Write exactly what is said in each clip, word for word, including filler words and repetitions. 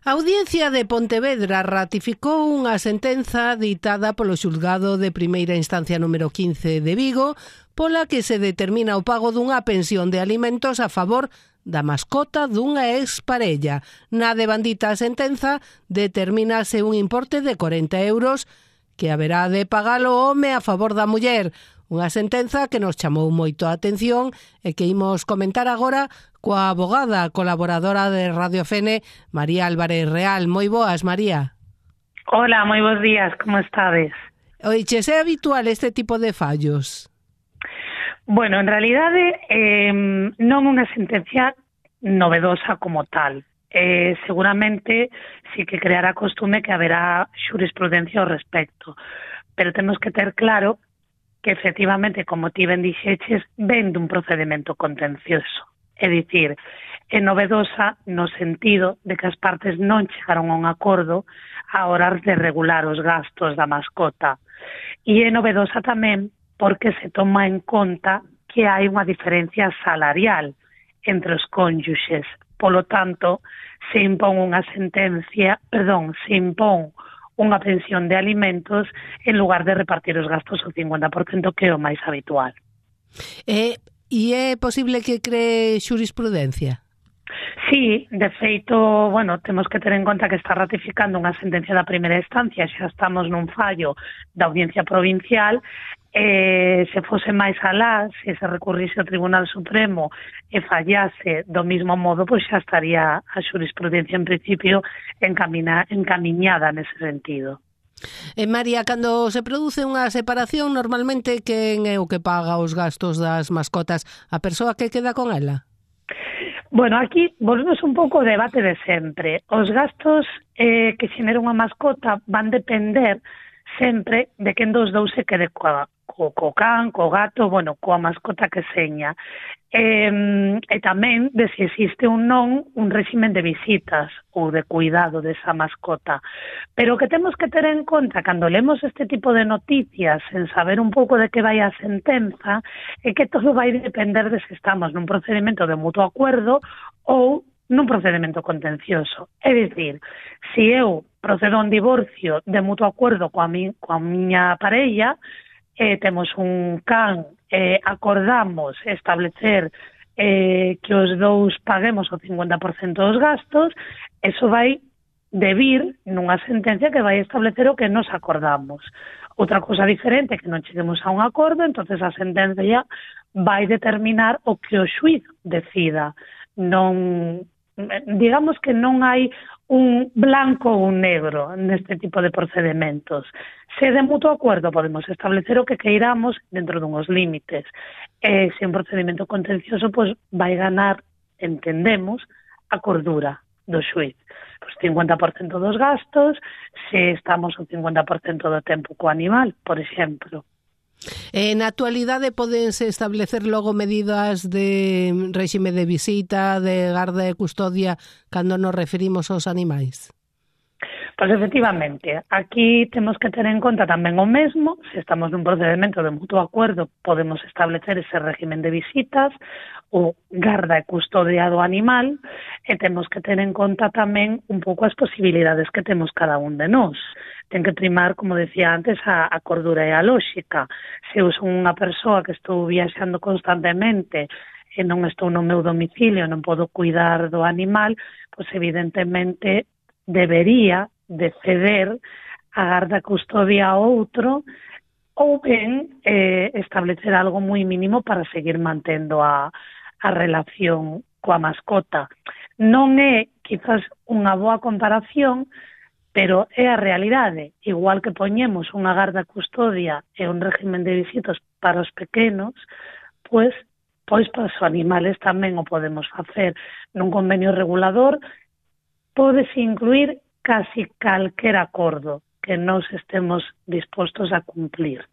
A Audiencia de Pontevedra ratificou unha sentenza ditada polo xulgado de primeira instancia número quince de Vigo, pola que se determina o pago dunha pensión de alimentos a favor da mascota dunha exparella. Na devandita sentenza determínase un importe de corenta euros que haberá de pagar o home a favor da muller. Unha sentenza que nos chamou moito a atención e que imos comentar agora coa abogada colaboradora de Radio Fene, María Álvarez Real. Moi boas, María. Hola, moi bons días, como estades? Oiches, é habitual este tipo de fallos? Bueno, en realidade eh, non unha sentencia novedosa como tal. Eh, seguramente sí que creará costume que haberá xurisprudencia ao respecto, pero temos que ter claro que efectivamente, como ti ben dixeches, ven dun procedimento contencioso. É dicir, é novedosa no sentido de que as partes non chegaron a un acordo a horas de regular os gastos da mascota. E é novedosa tamén porque se toma en conta que hai unha diferencia salarial entre os cónyuxes. Polo tanto, se impón unha sentencia, perdón, se impón unha pensión de alimentos en lugar de repartir os gastos ao cincuenta por cento, que é o máis habitual. E, e é posible que cree xurisprudencia? Sí, de feito, bueno, temos que ter en conta que está ratificando unha sentencia da primeira instancia, xa estamos nun fallo da Audiencia Provincial. Eh, se fose máis alá, se se recurrise ao Tribunal Supremo e fallase do mismo modo, pois xa estaría a xurisprudencia en principio encamina, encamiñada nese sentido. E María, cando se produce unha separación, normalmente quen é o que paga os gastos das mascotas? A persoa que queda con ela? Bueno, aquí volvemos un pouco ao debate de sempre. Os gastos eh, que xenera unha mascota van depender sempre de quen dos dous se quede coa, co, co can, co gato, bueno, coa mascota que seña. E, e tamén de se existe un non un réximen de visitas ou de cuidado desa mascota. Pero o que temos que ter en conta cando lemos este tipo de noticias sen saber un pouco de que vai a sentenza é que todo vai depender de se estamos nun procedimento de mutuo acuerdo ou nun procedimento contencioso. É dicir, se eu procedo a un divorcio de mutuo acuerdo coa, mi, coa miña parella, eh, temos un can, eh, acordamos establecer eh, que os dous paguemos o cincuenta por cento dos gastos, eso vai debir nunha sentencia que vai establecer o que nos acordamos. Outra cosa diferente que non cheguemos a un acordo, entonces a sentencia vai determinar o que o xuíz decida. Non, digamos que non hai un blanco ou un negro neste tipo de procedimentos. Se de mutuo acordo podemos establecer o que queiramos dentro dunhos límites. E se un procedimento contencioso, pois vai ganar, entendemos, a cordura do xuíz. Pois cincuenta por cento dos gastos, se estamos o cincuenta por cento do tempo co animal, por exemplo. E na actualidade podense establecer logo medidas de réxime de visita, de garda e custodia cando nos referimos aos animais? Pois efectivamente, aquí temos que ter en conta tamén o mesmo, se estamos nun procedimento de mutuo acuerdo podemos establecer ese régimen de visitas ou garda e custodia do animal e temos que ter en conta tamén un pouco as posibilidades que temos cada un de nós. Ten que primar, como decía antes, a, a cordura e a lóxica. Se eu son unha persoa que estou viaxando constantemente e non estou no meu domicilio, non podo cuidar do animal, pois evidentemente debería de ceder a garda custodia a outro ou ben eh, establecer algo moi mínimo para seguir mantendo a, a relación coa mascota. Non é quizás unha boa comparación, pero é a realidade. Igual que poñemos unha garda custodia e un régimen de visitas para os pequenos, pois, pois para os animales tamén o podemos facer. Nun convenio regulador pódese incluir casi calquer acordo que nós estemos dispostos a cumplir.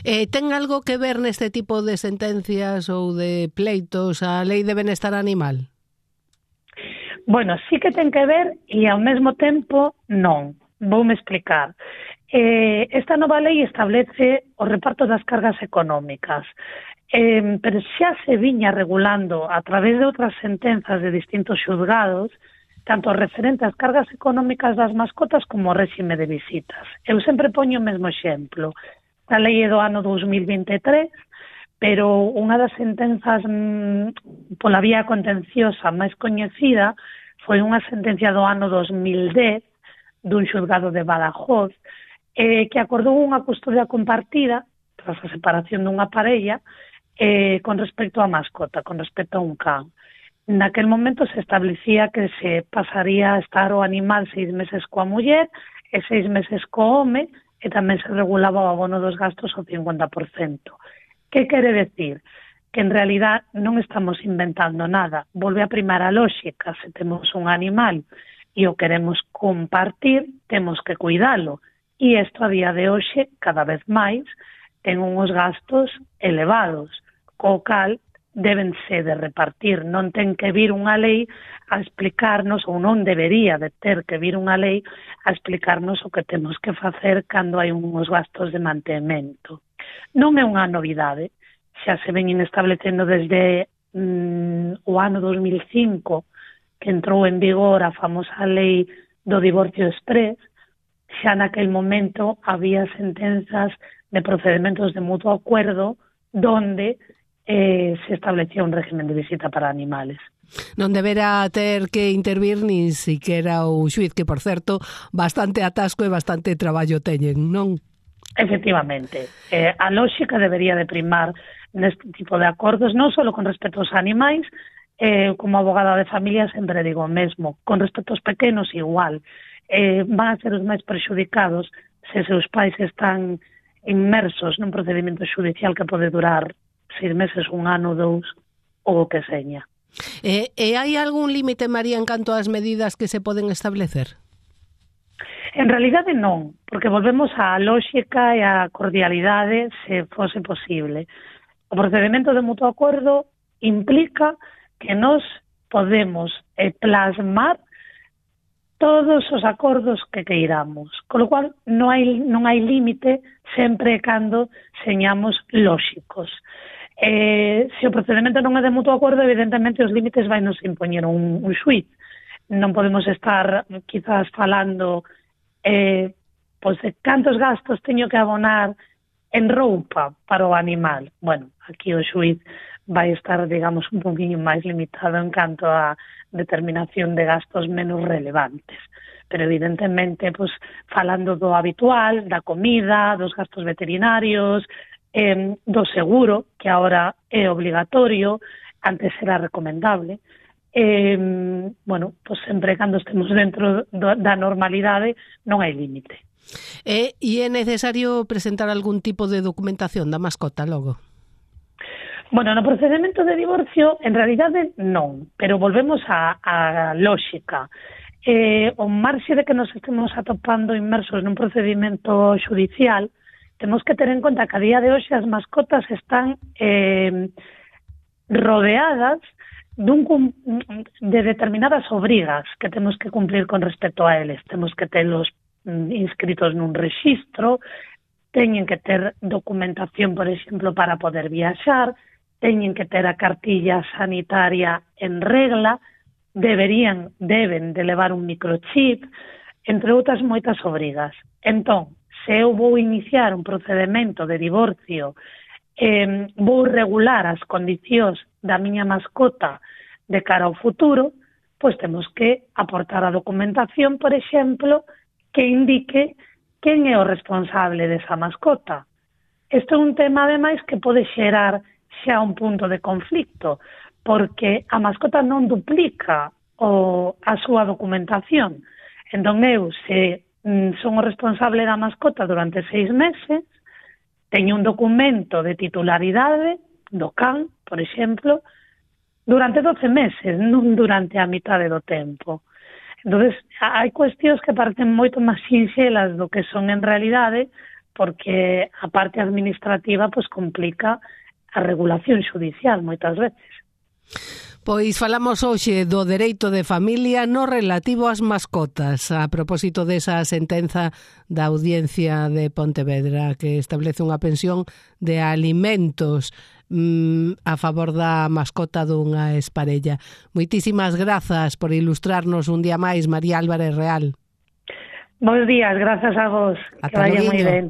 Eh, ten algo que ver neste tipo de sentencias ou de pleitos a Lei de Benestar Animal? Bueno, sí que ten que ver e ao mesmo tempo non. Voume explicar. Eh, esta nova lei establece o reparto das cargas económicas, eh, pero xa se viña regulando a través de outras sentenzas de distintos xulgados tanto referente ás cargas económicas das mascotas como ao réxime de visitas. Eu sempre poño o mesmo exemplo. A lei é do ano dous mil vinte e tres, pero unha das sentenzas mmm, pola vía contenciosa máis coñecida foi unha sentencia do ano dos mil dez dun xulgado de Badajoz eh, que acordou unha custodia compartida tras a separación dunha parella eh, con respecto á mascota, con respecto a un can. Naquel momento se establecía que se pasaría a estar o animal seis meses coa muller e seis meses co home e tamén se regulaba o abono dos gastos ao cincuenta por cento. Que quere decir? Que en realidad non estamos inventando nada. Volve a primar a lóxica. Se temos un animal e o queremos compartir, temos que cuidalo. E isto a día de hoxe, cada vez máis, ten uns gastos elevados, co cal deben ser de repartir. Non ten que vir unha lei a explicarnos, ou non debería de ter que vir unha lei a explicarnos o que temos que facer cando hai uns gastos de mantemento. Non é unha novidade, xa se ven establecendo desde mm, o ano dos mil cinco, que entrou en vigor a famosa lei do divorcio exprés. Xa naquel momento había sentenzas de procedimentos de mutuo acuerdo donde eh, se establecía un régimen de visita para animales. Non deberá ter que intervir nin siquera o xuiz, que, por certo, bastante atasco e bastante traballo teñen, non? Efectivamente, eh, a lóxica debería de primar neste tipo de acordos, non só con respecto aos animais, eh, como abogada de familia sempre digo o mesmo, con respecto aos pequenos igual, eh, van a ser os máis perxudicados se seus pais están inmersos nun procedimento judicial que pode durar seis meses, un ano, dous, ou o que seña. E, e hai algún límite, María, en canto ás medidas que se poden establecer? En realidade non, porque volvemos á lóxica e á cordialidade se fose posible. O procedimento de mutuo acordo implica que nos podemos eh, plasmar todos os acordos que queiramos, con lo cual non hai, non hai límite sempre cando señamos lóxicos. Eh, se o procedimento non é de mutuo acordo, evidentemente os límites vai nos impoñer un, un xuiz. Non podemos estar quizás falando Eh, pois de cantos gastos teño que abonar en roupa para o animal. Bueno, aquí o xuiz vai estar, digamos, un poquinho máis limitado en canto a determinación de gastos menos relevantes. Pero, evidentemente, pois, falando do habitual, da comida, dos gastos veterinarios, eh, do seguro, que agora é obligatorio, antes era recomendable, Eh, bueno, pues sempre cando estemos dentro do, da normalidade non hai límite. E, e é necesario presentar algún tipo de documentación da mascota logo? Bueno, no procedimento de divorcio en realidade non, pero volvemos á, á lóxica. Eh, o marxe de que nos estemos atopando inmersos nun procedimento judicial, temos que ter en conta que a día de hoxe as mascotas están eh, rodeadas dun, de determinadas obrigas que temos que cumplir con respecto a eles. Temos que telos inscritos nun rexistro, teñen que ter documentación, por exemplo, para poder viaxar, teñen que ter a cartilla sanitaria en regla, deberían, deben de levar un microchip, entre outras moitas obrigas. Entón, se eu vou iniciar un procedimento de divorcio, eh, vou regular as condicións da miña mascota de cara ao futuro, pois temos que aportar a documentación, por exemplo, que indique quen é o responsable desa mascota. Isto é un tema, ademais, que pode xerar xa un punto de conflicto, porque a mascota non duplica o, a súa documentación. Entón eu, se mm, son o responsable da mascota durante seis meses, teño un documento de titularidade do can, por exemplo, durante doce meses, non durante a mitade do tempo. Entón, hai cuestións que parecen moito máis sinxelas do que son en realidade, porque a parte administrativa pois complica a regulación xudicial moitas veces. Pois falamos hoxe do dereito de familia no relativo ás mascotas, a propósito desa sentenza da Audiencia de Pontevedra que establece unha pensión de alimentos. mm, a favor da mascota dunha esparella. Moitísimas grazas por ilustrarnos un día máis, María Álvarez Real. Bos días, grazas a vos. Ata que vaya moi ben.